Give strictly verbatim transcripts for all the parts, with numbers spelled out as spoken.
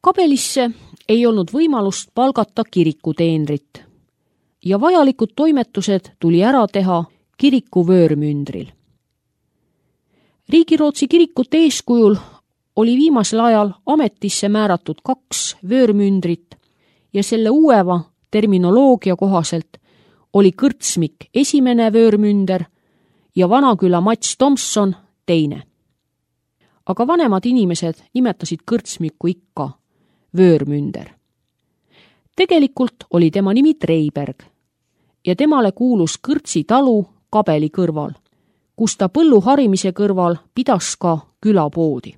Kabelisse ei olnud võimalust palgata kirikuteenrit ja vajalikud toimetused tuli ära teha kiriku vöörmündril. Riigirootsi kirikute eeskujul oli viimasel ajal ametisse määratud kaks vöörmündrit ja selle uueva terminoloogia kohaselt oli Kõrtsmik esimene vöörmünder ja Vanaküla Mats Tomson teine. Aga vanemad inimesed nimetasid Kõrtsmikku ikka vöörmünder. Tegelikult oli tema nimi Treiberg ja temale kuulus Kõrtsi talu Kabeli kõrval, kus ta põllu harimise kõrval pidas ka külapoodi.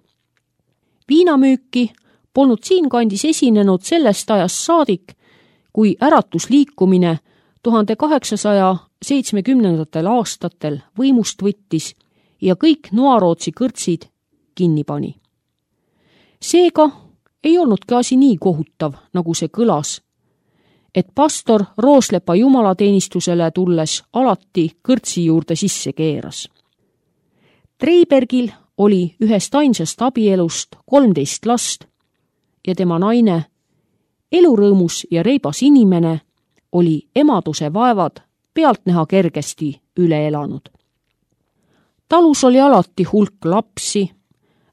Viinamüüki polnud siinkandis esinenud sellest ajast saadik, kui äratusliikumine tuhande kaheksasaja seitsmekümnendatel aastatel võimust võttis ja kõik Noarootsi kõrtsid kinni pani. Seega ei olnudki asi nii kohutav, nagu see kõlas, et pastor Rooslepa jumalateenistusele tulles alati kõrtsi juurde sisse keeras. Treibergil oli ühest ainsast abielust kolmteist last ja tema naine, elurõõmus ja reibas inimene, oli emaduse vaevad pealtnäha kergesti üle elanud. Talus oli alati hulk lapsi,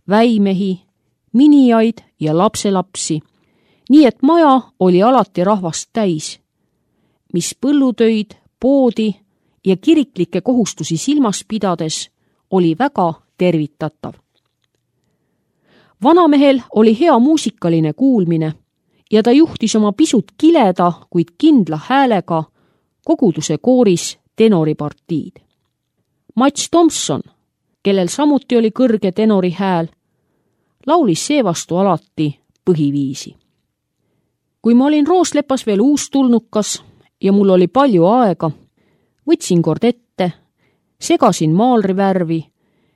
väimehi, minijaid ja lapselapsi, nii et maja oli alati rahvast täis, mis põllutöid, poodi ja kiriklikke kohustusi silmas pidades oli väga tervitatav. Vanamehel oli hea muusikaline kuulmine ja ta juhtis oma pisut kileda, kuid kindla häälega koguduse kooris tenoripartiid. Mats Tomson, kellel samuti oli kõrge tenori hääl, laulis seevastu alati põhiviisi. Kui ma olin Rooslepas veel uustulnukas ja mul oli palju aega, võtsin kord ette, segasin maalrivärvi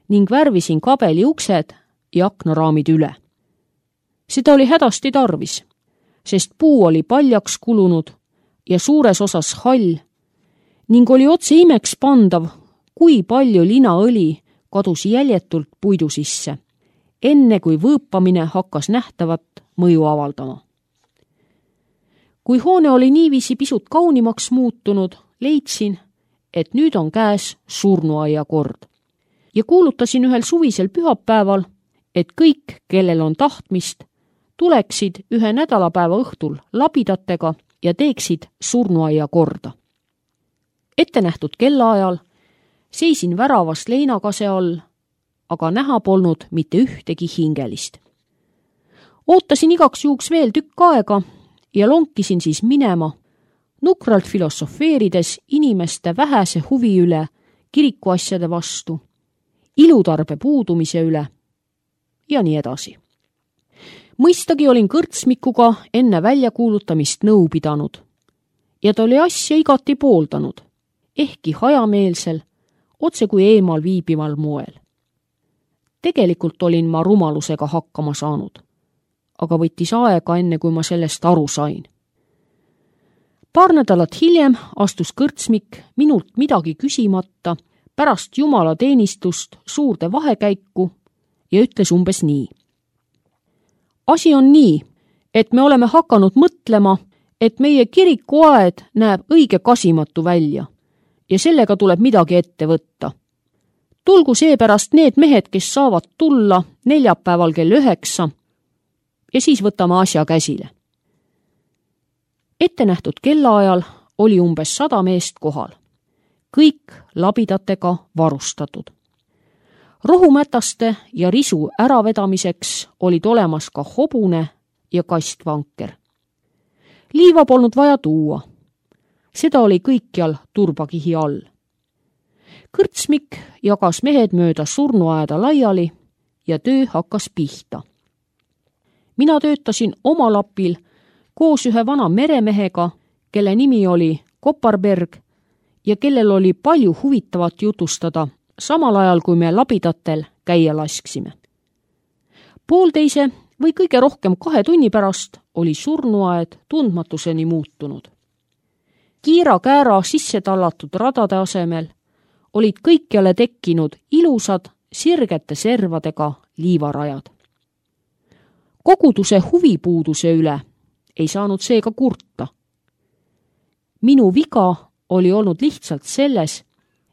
ning värvisin kabeli uksed ja aknaraamid üle. Seda oli hädasti tarvis, sest puu oli paljaks kulunud ja suures osas hall ning oli otse imeks pandav, kui palju linaõli kadus jäljetult puidu sisse, enne kui võõpamine hakkas nähtavat mõju avaldama. Kui hoone oli niiviisi pisut kaunimaks muutunud, leidsin, et nüüd on käes surnuaia kord. Ja kuulutasin ühel suvisel pühapäeval, et kõik, kellel on tahtmist, tuleksid ühe nädalapäeva õhtul labidatega ja teeksid surnuaia korda. Ettenähtud kellaajal seisin väravast leinakase all, aga näha polnud mitte ühtegi hingelist. Ootasin igaks juhuks veel tükk aega ja lonkisin siis minema, nukralt filosofeerides inimeste vähese huvi üle kirikuasjade vastu, ilutarbe puudumise üle ja nii edasi. Mõistagi olin Kõrtsmikuga enne väljakuulutamist nõu pidanud ja ta oli asja igati pooldanud, ehkki hajameelsel, otse kui eemal viibival moel. Tegelikult olin ma rumalusega hakkama saanud, aga võttis aega enne, kui ma sellest aru sain. Paar nädalat hiljem astus Kõrtsmik minult midagi küsimata pärast jumalateenistust suurde vahekäiku ja ütles umbes nii. Asi on nii, et me oleme hakanud mõtlema, et meie kirikuaed näeb õige kasimatu välja ja sellega tuleb midagi ette võtta. Tulgu seepärast need mehed, kes saavad tulla neljapäeval kell üheksa ja siis võtame asja käsile. Ettenähtud kellaajal oli umbes sada meest kohal, kõik labidatega varustatud. Rohumätaste ja risu äravedamiseks olid olemas ka hobune ja kastvanker. Liiva polnud vaja tuua. Seda oli kõikjal turbakihi all. Kõrtsmik jagas mehed mööda surnuaeda laiali ja töö hakkas pihta. Mina töötasin oma lapil koos ühe vana meremehega, kelle nimi oli Koparberg ja kellel oli palju huvitavat jutustada, samal ajal kui me labidatel käia lasksime. Poolteise või kõige rohkem kahe tunni pärast oli surnuaed tundmatuseni muutunud. Kiira-käära sisse tallatud radade asemel olid kõikjale tekkinud ilusad sirgete servadega liivarajad. Koguduse huvipuuduse üle ei saanud seega kurta. Minu viga oli olnud lihtsalt selles,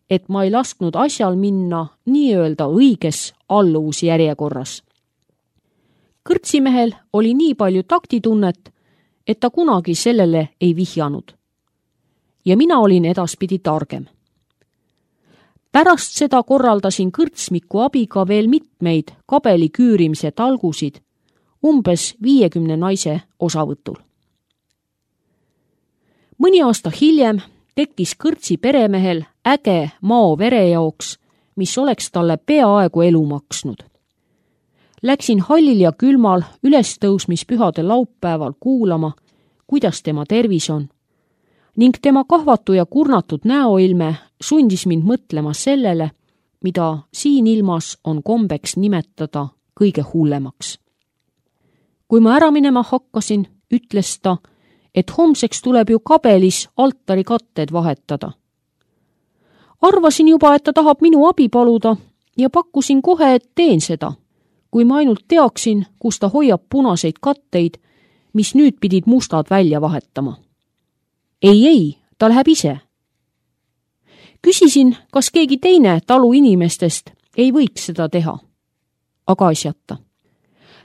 et ma ei lasknud asjal minna nii-öelda õiges alluvusjärjekorras. Kõrtsimehel oli nii palju taktitunnet, et ta kunagi sellele ei vihjanud. Ja mina olin edaspidi targem. Pärast seda korraldasin kõrtsmiku abiga veel mitmeid kabeli küürimise talgusid, umbes viiekümne naise osavõtul. Mõni aasta hiljem tekkis kõrtsi peremehel äge mao verejaoks, mis oleks talle peaaegu elu maksnud. Läksin hallil ja külmal ülestõusmispühade laupäeval kuulama, kuidas tema tervis on, ning tema kahvatu ja kurnatud näoilme sundis mind mõtlema sellele, mida siin ilmas on kombeks nimetada kõige hullemaks. Kui ma ära minema hakkasin, ütles ta, et homseks tuleb ju kabelis altari katted vahetada. Arvasin juba, et ta tahab minu abi paluda ja pakkusin kohe, et teen seda, kui ma ainult teaksin, kus ta hoiab punaseid katteid, mis nüüd pidid mustad välja vahetama. Ei, ei, ta läheb ise. Küsisin, kas keegi teine talu inimestest ei võiks seda teha. Aga asjata.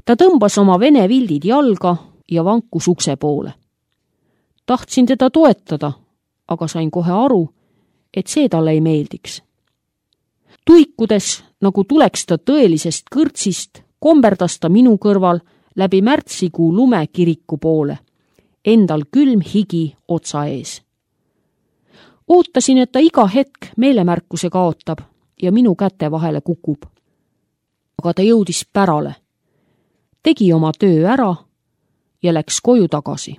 Ta tõmbas oma vene vildid jalga ja vankus ukse poole. Tahtsin teda toetada, aga sain kohe aru, et see talle ei meeldiks. Tuikudes, nagu tuleks ta tõelisest kõrtsist, komberdas ta minu kõrval läbi märtsikuu lume kiriku poole, endal külm higi otsa ees. Ootasin, et ta iga hetk meelemärkuse kaotab ja minu käte vahele kukub. Aga ta jõudis pärale, tegi oma töö ära ja läks koju tagasi.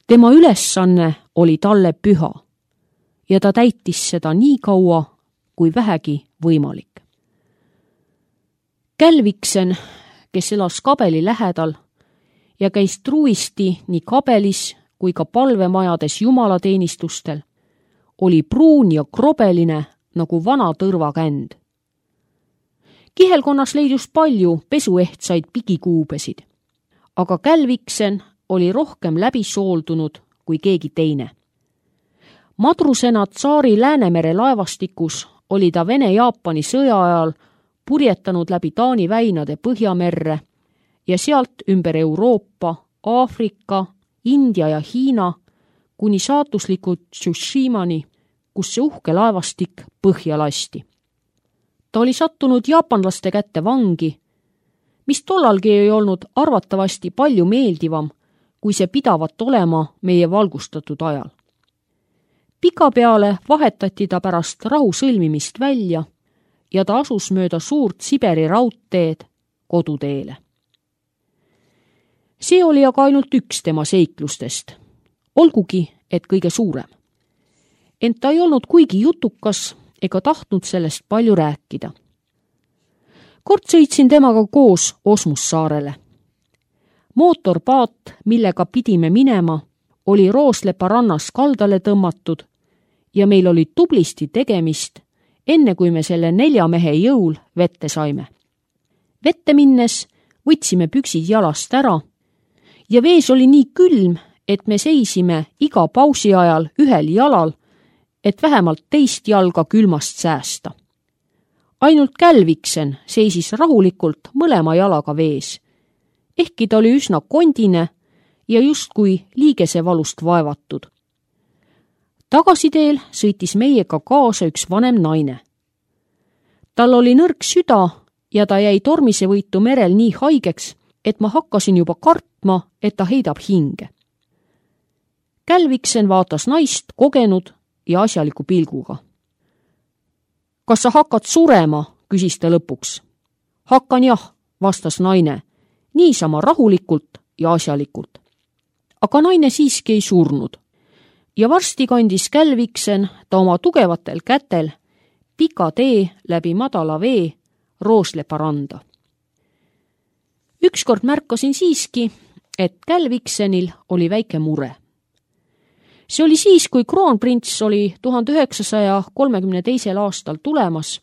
Tema ülesanne oli talle püha ja ta täitis seda nii kaua, kui vähegi võimalik. Kälviksen, kes elas kabeli lähedal ja käis truisti nii kabelis kui ka palvemajades jumalateenistustel, oli pruun ja krobeline nagu vana tõrvakänd. Kihelkonnas leidus palju pesuehtsaid pigikuubesid, aga Kälviksen oli rohkem läbi sooldunud kui keegi teine. Madrusena tsaari Läänemere laevastikus oli ta Vene-Jaapani sõja ajal purjetanud läbi Taani väinade Põhjamerre ja sealt ümber Euroopa, Aafrika, India ja Hiina kuni saatuslikud Tsushimani, kus see uhke laevastik põhja lasti. Ta oli sattunud jaapanlaste kätte vangi, mis tollalgi ei olnud arvatavasti palju meeldivam, kui see pidavat olema meie valgustatud ajal. Pikapeale vahetati ta pärast rahu sõlmimist välja ja ta asus mööda suurt Siberi raudteed koduteele. See oli aga ainult üks tema seiklustest, olgugi, et kõige suurem. Ent ta ei olnud kuigi jutukas ega tahtnud sellest palju rääkida. Kord sõitsin temaga koos Osmussaarele. Mootorpaat, millega pidime minema, oli Rooslepa rannas kaldale tõmmatud ja meil oli tublisti tegemist, enne kui me selle nelja mehe jõul vette saime. Vette minnes võtsime püksid jalast ära ja vees oli nii külm, et me seisime iga pausi ajal ühel jalal, et vähemalt teist jalga külmast säästa. Ainult Kälviksen seisis rahulikult mõlema jalaga vees, ehkki ta oli üsna kondine ja justkui liigesevalust vaevatud. Tagasiteel sõitis meiega kaasa üks vanem naine. Tal oli nõrk süda ja ta jäi tormisevõitu merel nii haigeks, et ma hakkasin juba kartma, et ta heidab hinge. Kälviksen vaatas naist kogenud ja asjaliku pilguga. Kas sa hakkad surema, küsis ta lõpuks. Hakkan jah, vastas naine, niisama rahulikult ja asjalikult. Aga naine siiski ei surnud ja varsti kandis Kälviksen ta oma tugevatel kätel pika tee läbi madala vee Rooslepa randa. Ükskord märkasin siiski, et Kälviksenil oli väike mure. See oli siis, kui kroonprints oli tuhande üheksasaja kolmekümne teisel aastal tulemas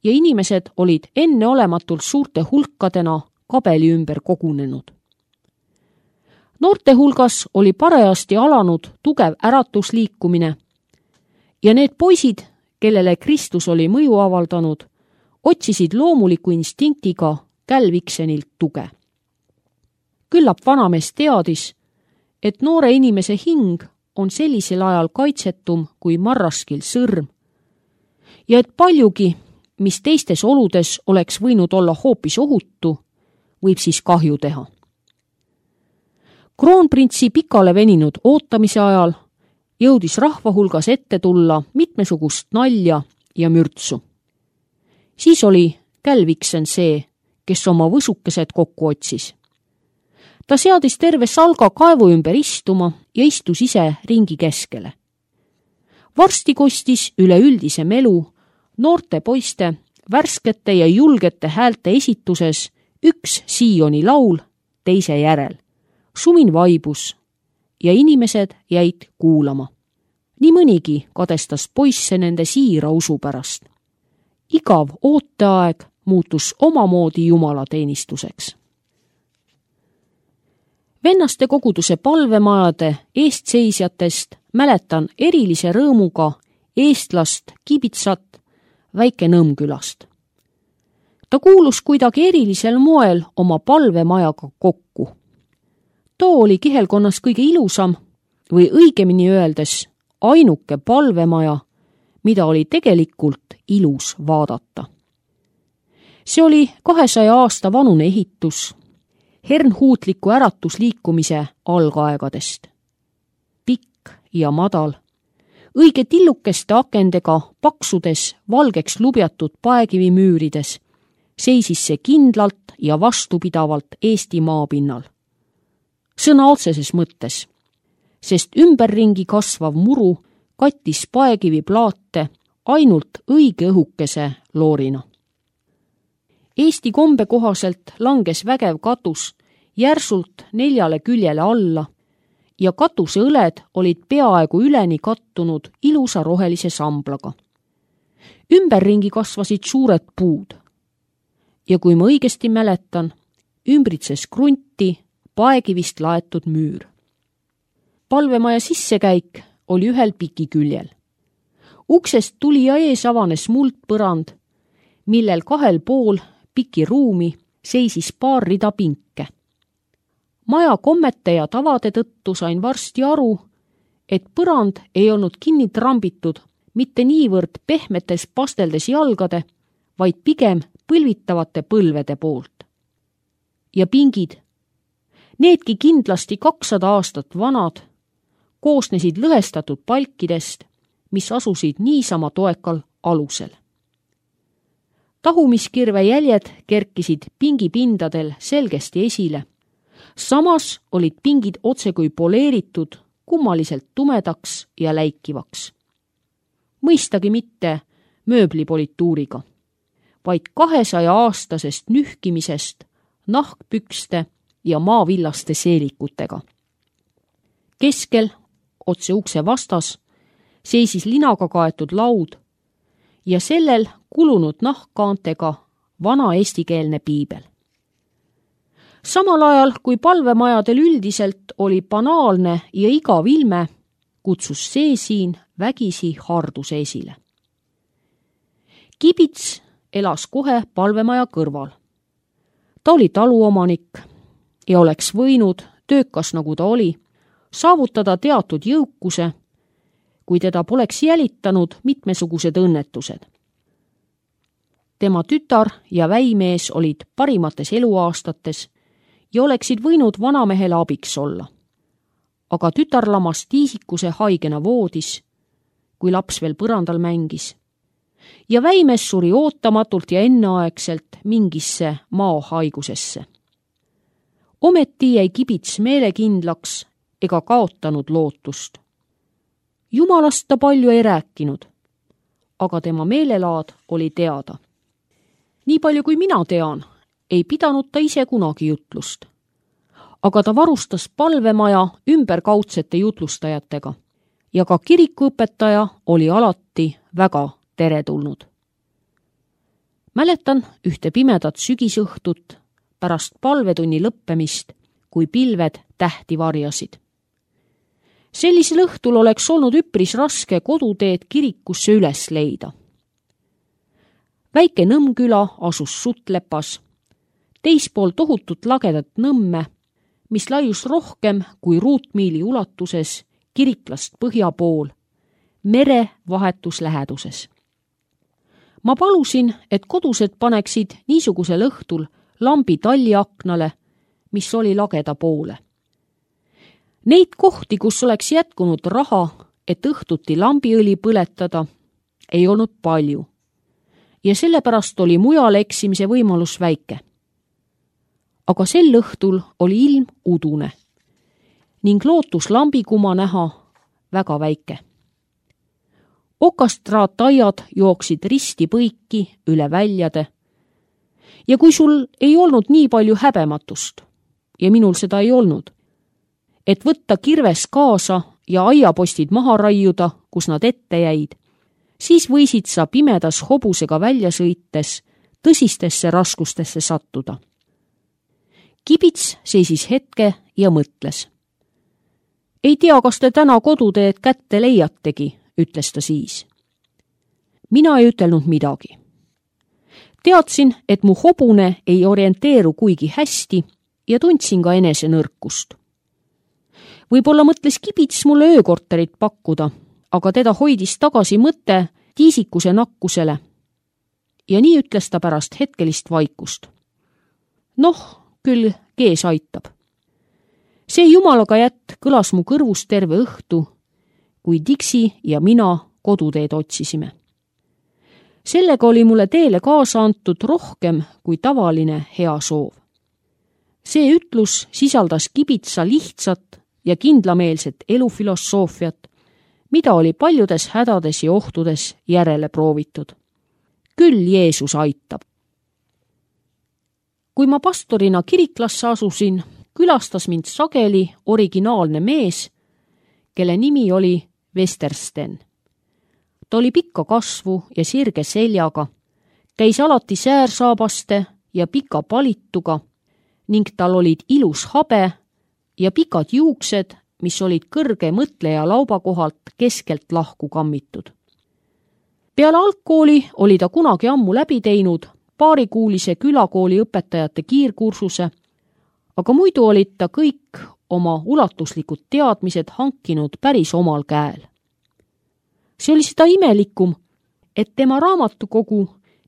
ja inimesed olid enneolematult suurte hulkadena kabeli ümber kogunenud. Noorte hulgas oli parajasti alanud tugev äratusliikumine ja need poisid, kellele Kristus oli mõju avaldanud, otsisid loomuliku instinktiga Kälviksenilt tuge. Küllap vanamees teadis, et noore inimese hing on sellisel ajal kaitsetum kui marraskil sõrm ja et paljugi, mis teistes oludes oleks võinud olla hoopis ohutu, võib siis kahju teha. Kroonprintsi pikale veninud ootamise ajal jõudis rahva hulgas ette tulla mitmesugust nalja ja mürtsu. Siis oli Kälviksen see, kes oma võsukesed kokku otsis. Ta seadis terve salga kaevu ümber istuma ja istus ise ringi keskele. Varsti kostis üleüldise melu noorte poiste värskete ja julgete häälte esituses üks Sioni laul teise järel. Sumin vaibus ja inimesed jäid kuulama. Nii mõnigi kadestas poisse nende siira usu pärast. Igav ooteaeg muutus omamoodi jumalateenistuseks. Vennaste koguduse palvemajade eestseisjatest mäletan erilise rõõmuga eestlast Kibitsat Väike-Nõmmkülast. Ta kuulus kuidagi erilisel moel oma palvemajaga kokku. Too oli kihelkonnas kõige ilusam või õigemini öeldes ainuke palvemaja, mida oli tegelikult ilus vaadata. See oli kahesaja aasta vanune ehitus, hernhuutliku äratusliikumise algaegadest. Pikk ja madal, õige tillukeste akendega paksudes valgeks lubjatud paekivimüürides seisis see kindlalt ja vastupidavalt Eesti maapinnal. Sõna otseses mõttes, sest ümberringi kasvav muru kattis paekivi plaate ainult õige õhukese loorina. Eesti kombe kohaselt langes vägev katus järsult neljale küljele alla ja katuse õled olid peaaegu üleni kattunud ilusa rohelise samblaga. Ümberringi kasvasid suured puud ja kui ma õigesti mäletan, ümbritses krunti paekivist laetud müür. Palvemaja sissekäik oli ühel piki küljel. Uksest tuli ja ees avanes muldpõrand, millel kahel pool piki ruumi seisis paar rida pinke. Maja kommete ja tavade tõttu sain varsti aru, et põrand ei olnud kinni trambitud mitte niivõrd pehmetes pasteldes jalgade, vaid pigem põlvitavate põlvede poolt. Ja pingid, needki kindlasti kakssada aastat vanad, koosnesid lõhestatud palkidest, mis asusid niisama toekal alusel. Tahumiskirve jäljed kerkisid pingipindadel selgesti esile. Samas olid pingid otsekui poleeritud kummaliselt tumedaks ja läikivaks. Mõistagi mitte mööblipolituuriga, vaid kahesaja aastasest nühkimisest nahkpükste ja maavillaste seelikutega. Keskel, otse ukse vastas, seisis linaga kaetud laud ja sellel kulunud nahkkaantega vana eestikeelne piibel. Samal ajal, kui palvemajadel üldiselt oli banaalne ja igav ilme, kutsus see siin vägisi harduse esile. Kibits elas kohe palvemaja kõrval. Ta oli taluomanik ja oleks võinud, töökas nagu ta oli, saavutada teatud jõukuse, kui teda poleks jälitanud mitmesugused õnnetused. Tema tütar ja väimees olid parimates eluaastates ja oleksid võinud vanamehele abiks olla. Aga tütar lamas tiisikuse haigena voodis, kui laps veel põrandal mängis, ja väimees suri ootamatult ja enneaegselt mingisse maohaigusesse. Ometi jäi Kibits meelekindlaks ega kaotanud lootust. Jumalast ta palju ei rääkinud, aga tema meelelaad oli teada. Nii palju kui mina tean, ei pidanud ta ise kunagi jutlust. Aga ta varustas palvemaja ümberkaudsete jutlustajatega ja ka kirikuõpetaja oli alati väga teretulnud. Mäletan ühte pimedat sügisõhtut pärast palvetunni lõppemist, kui pilved tähti varjasid. Sellisel õhtul oleks olnud üpris raske koduteed kirikusse üles leida. Väike Nõmmküla asus Suttlepas, teispool tohutut lagedat Nõmme, mis laius rohkem kui ruutmiili ulatuses Kiriklast põhja pool, mere vahetus läheduses. Ma palusin, et kodused paneksid niisugusel õhtul lambi talliaknale, mis oli lageda poole. Neid kohti, kus oleks jätkunud raha, et õhtuti lambiõli põletada, ei olnud palju. Ja sellepärast oli mujal eksimise võimalus väike. Aga sel õhtul oli ilm udune ning lootus lambikuma näha väga väike. Okastraataiad jooksid risti põiki üle väljade ja kui sul ei olnud nii palju häbematust, ja minul seda ei olnud, et võtta kirves kaasa ja aiapostid maha raiuda, kus nad ette jäid, siis võisid sa pimedas hobusega välja sõites tõsistesse raskustesse sattuda. Kibits seisis hetke ja mõtles. Ei tea, kas te täna koduteed kätte leiategi, ütles ta siis. Mina ei ütelnud midagi. Teadsin, et mu hobune ei orienteeru kuigi hästi ja tundsin ka enese nõrkust. Võib-olla mõtles Kibits mulle öökorterit pakkuda, aga teda hoidis tagasi mõte tiisikuse nakkusele. Ja nii ütles ta pärast hetkelist vaikust. Noh, küll kees aitab. See jumalaga jätt kõlas mu kõrvus terve õhtu, kui Dixi ja mina koduteed otsisime. Sellega oli mulle teele kaasa antud rohkem kui tavaline hea soov. See ütlus sisaldas Kibitsa lihtsat ja kindlameelset elufilosoofiat, mida oli paljudes hädades ja ohtudes järele proovitud. Küll Jeesus aitab. Kui ma pastorina Kiriklasse asusin, külastas mind sageli originaalne mees, kelle nimi oli Westersten. Ta oli pikka kasvu ja sirge seljaga, käis alati säärsaabaste ja pika palituga ning tal olid ilus habe ja pikad juuksed, mis olid kõrge mõtleja lauba kohalt keskelt lahku kammitud. Peale algkooli oli ta kunagi ammu läbi teinud paarikuulise külakooli õpetajate kiirkursuse, aga muidu olid ta kõik oma ulatuslikud teadmised hankinud päris omal käel. See oli seda imelikum, et tema raamatukogu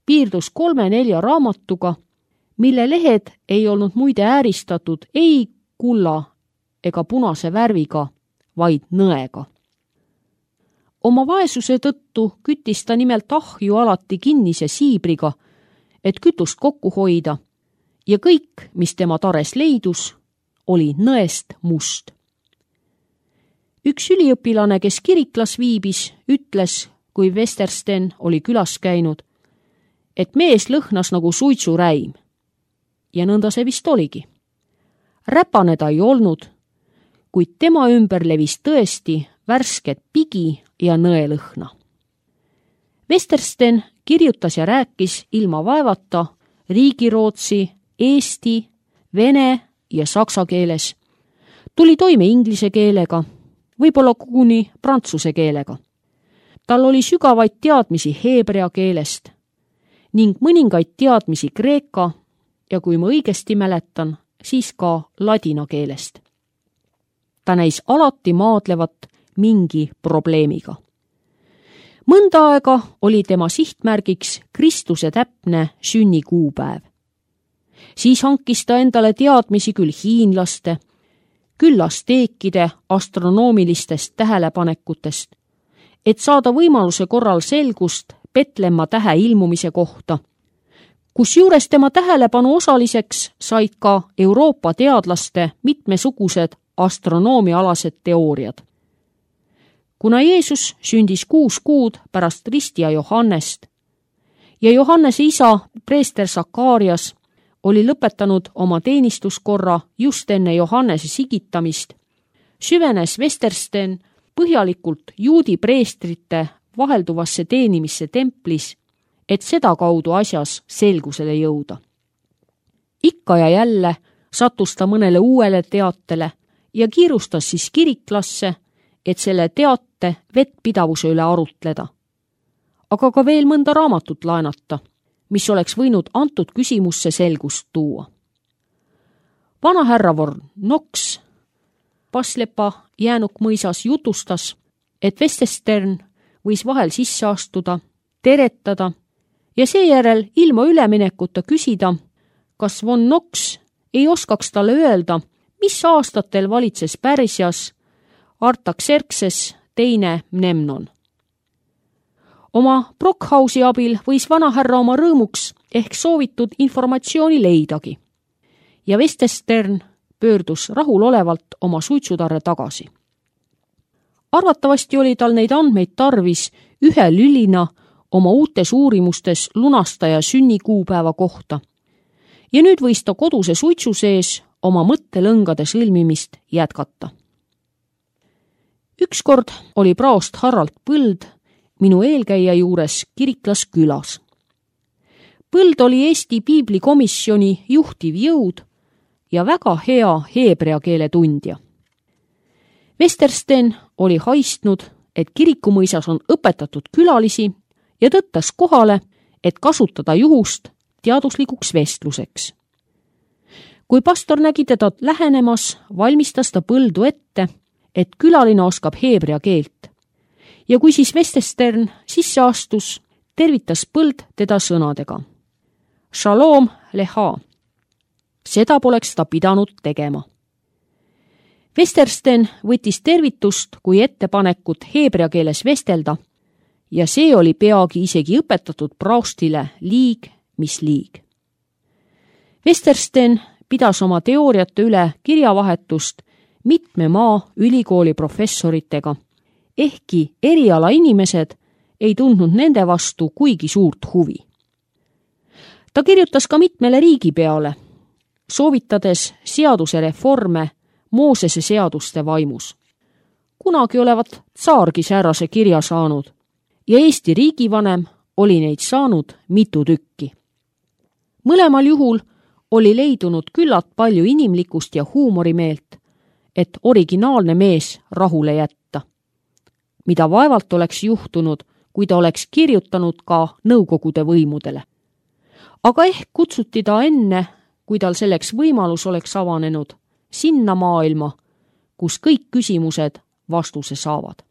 piirdus kolme-nelja raamatuga, mille lehed ei olnud muide ääristatud ei kulla ega punase värviga, vaid nõega. Oma vaesuse tõttu küttis ta nimelt ahju alati kinnise siibriga, et kütust kokku hoida, ja kõik, mis tema tares leidus, oli nõest must. Üks üliõpilane, kes Kiriklas viibis, ütles, kui Westersten oli külas käinud, et mees lõhnas nagu suitsuräim. Ja nõnda see vist oligi. Räpane ta ei olnud, kuid tema ümber levis tõesti värsket pigi ja nõelõhna. Westersten kirjutas ja rääkis ilma vaevata riigirootsi, eesti, vene ja saksa keeles. Tuli toime inglise keelega, võib-olla koguni prantsuse keelega. Tal oli sügavaid teadmisi heebrea keelest ning mõningaid teadmisi kreeka ja kui ma õigesti mäletan, siis ka ladina keelest. Ta näis alati maadlevat mingi probleemiga. Mõnda aega oli tema sihtmärgiks Kristuse täpne sünnikuupäev. Siis hankis ta endale teadmisi küll hiinlaste, küll asteekide astronoomilistest tähelepanekutest, et saada võimaluse korral selgust Petlemma tähe ilmumise kohta, kusjuures tema tähelepanu osaliseks said ka Euroopa teadlaste mitmesugused astronoomialased teooriad. Kuna Jeesus sündis kuus kuud pärast ristija Johannest ja Johannese isa preester Sakarias oli lõpetanud oma teenistuskorra just enne Johannese sigitamist, süvenes Westersten põhjalikult juudi preestrite vahelduvasse teenimisse templis, et seda kaudu asjas selgusele jõuda. ikka ja jälle sattus ta mõnele uuele teatele ja kiirustas siis kiriklasse, et selle teate vettpidavuse üle arutleda. Aga ka veel mõnda raamatut laenata, mis oleks võinud antud küsimusse selgust tuua. Vana härra Von Knox Paslepa jäänuk mõisas jutustas, et Westerstern võis vahel sisse astuda, teretada ja seejärel ilma üleminekuta küsida, kas Von Knox ei oskaks talle öelda, mis aastatel valitses Pärsias Artaxerxes teine Mnemnon. Oma Brockhausi abil võis vanahärra oma rõõmuks ehk soovitud informatsiooni leidagi ja Westerstern pöördus rahulolevalt oma suitsutarre tagasi. Arvatavasti oli tal neid andmeid tarvis ühe lülina oma uutes uurimustes lunastaja sünnikuupäeva kohta ja nüüd võis ta koduse suitsu sees oma mõttelõngade sõlmimist jätkata. Ükskord oli praost Harald Põld minu eelkäija juures Kiriklas külas. Põld oli Eesti piiblikomisjoni juhtiv jõud ja väga hea heebrea keele tundja. Westerstern oli haistnud, et kirikumõisas on õpetatud külalisi ja tõttas kohale, et kasutada juhust teaduslikuks vestluseks. Kui pastor nägi teda lähenemas, valmistas ta Põldu ette, et külaline oskab heebrea keelt. Ja kui siis Westerstern sisse astus, tervitas Põld teda sõnadega. Shalom leha. Seda poleks ta pidanud tegema. Westerstern võttis tervitust kui ettepanekut heebrea keeles vestelda ja see oli peagi isegi õpetatud praostile liig, mis liig. Westerstern pidas oma teooriate üle kirjavahetust mitme maa ülikooli professoritega, ehkki eriala inimesed ei tundnud nende vastu kuigi suurt huvi. Ta kirjutas ka mitmele riigipeale, soovitades seaduse reforme Moosese seaduste vaimus. Kunagi olevat tsaargi säärase kirja saanud ja Eesti riigivanem oli neid saanud mitu tükki. Mõlemal juhul oli leidunud küllalt palju inimlikkust ja huumorimeelt, et originaalne mees rahule jätta. Mida vaevalt oleks juhtunud, kui ta oleks kirjutanud ka nõukogude võimudele. Aga ehk kutsuti ta enne, kui tal selleks võimalus oleks avanenud, sinna maailma, kus kõik küsimused vastuse saavad.